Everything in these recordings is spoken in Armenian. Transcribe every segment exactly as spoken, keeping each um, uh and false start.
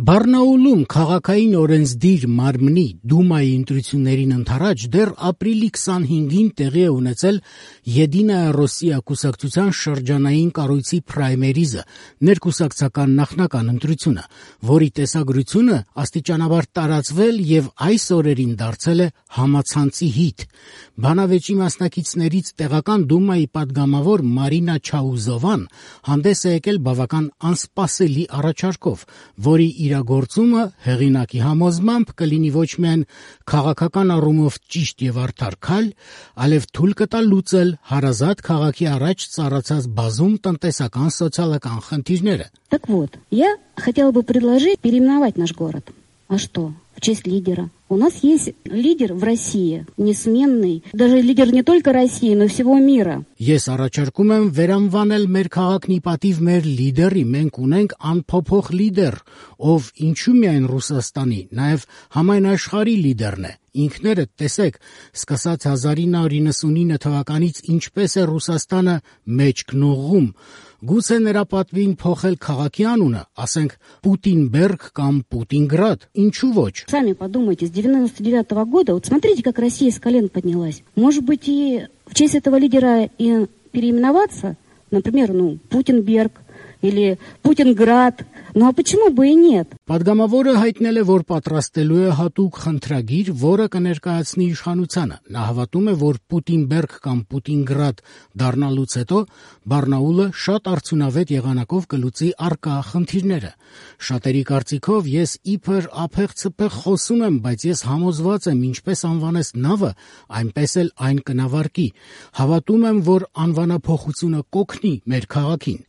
Բարնաուլում քաղաքային օրենսդիր մարմնի Դումայի ընտրություններին ընդառաջ դեռ ապրիլի քսանհինգին տեղի է ունեցել «Եդինայա Ռոսիա» կուսակցության շրջանային կառույցի պրայմերիզը, ներկուսակցական նախնական ընտրությունը, որի տեսագրությունը աստիճանաբար տարածվել եւ այս օրերին դարձել է համացանցի հիթ։ Բանավեճի մասնակիցներից տեղական Դումայի պատգամավոր Մարինա Չաուզովան հանդես է եկել բավական անսպասելի առաջարկով, որի իրագործումը հեղինակի համոզմամբ կլինի ոչ միայն քաղաքական առումով ճիշտ եւ արդար քայլ, այլև թույլ կտա լուծել հարազատ քաղաքի առաջ ծառացած բազում տնտեսական սոցիալական խնդիրները։ Так вот, я хотела бы предложить переименовать наш город. А что? В честь лидера. У нас есть лидер в России, несменный, даже лидер не только России, но и всего мира. Ես առաջարկում եմ վերանվանել մեր քաղաքն ի պատիվ մեր լիդերի, մենք ունենք անփոփոխ լիդեր, ով ինչու միայն Ռուսաստանի, նաև համայն աշխարհի լիդերն է։ Ինքներդ տեսեք, սկսած հազար ինը հարյուր իննսունինը թվականից ինչպես է Ռուսաստանը մեջքն ուղղում։ Գուցե նրա պատվին փոխել քաղաքի անունը, ասենք Պուտինբերգ կամ Պուտինգրադ, ինչու ոչ։ Сами подумайте, с девяносто девятого года, вот смотрите, как Россия с колен поднялась. Может быть, и в честь этого лидера и переименоваться, например, ну, Путинберг или Путинград. Ну а почему бы и нет? Պատգամավորը հայտնել է, որ պատրաստելու է հատուկ խնդրագիր, որը կներկայացնի իշխանությանը։ Նա հավատում է, որ Պուտինբերգ կամ Պուտինգրադ դառնալուց հետո Բարնաուլը շատ արդյունավետ եղանակով կլուծի առկա խնդիրները։ Շատերի կարծիքով ես իբր ափեղ-ցփեղ խոսում եմ, բայց ես համոզված եմ, ինչպես անվանես նավը, այնպես էլ այն կնավարկի։ Հավատում եմ, որ անվանափոխությունը կօգնի մեր քաղաքին։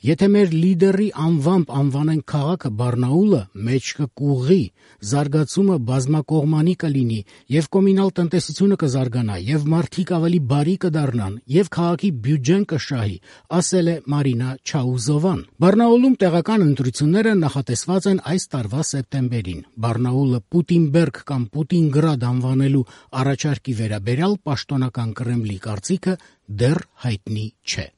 Եթե մեր լիդերի անվամբ անվանենք քաղաքը Բարնաուլը, մեջքը կուղղի, զարգացումը բազմակողմանի կլինի, եւ կոմունալ տնտեսությունը կզարգանա, եւ մարդիկ ավելի բարի կդառնան, եւ քաղաքի բյուջեն կշահի, ասել է Մարինա Չաուզովան։ Բարնաուլում տեղական ընտրությունները նախատեսված են այս տարվա սեպտեմբերին։ Բարնաուլը Պուտինբերգ կամ Պուտինգրադ անվանելու առաջարկի վերաբերյալ պաշտոնական Կրեմլի կարծիքը դեռ հայտնի չէ։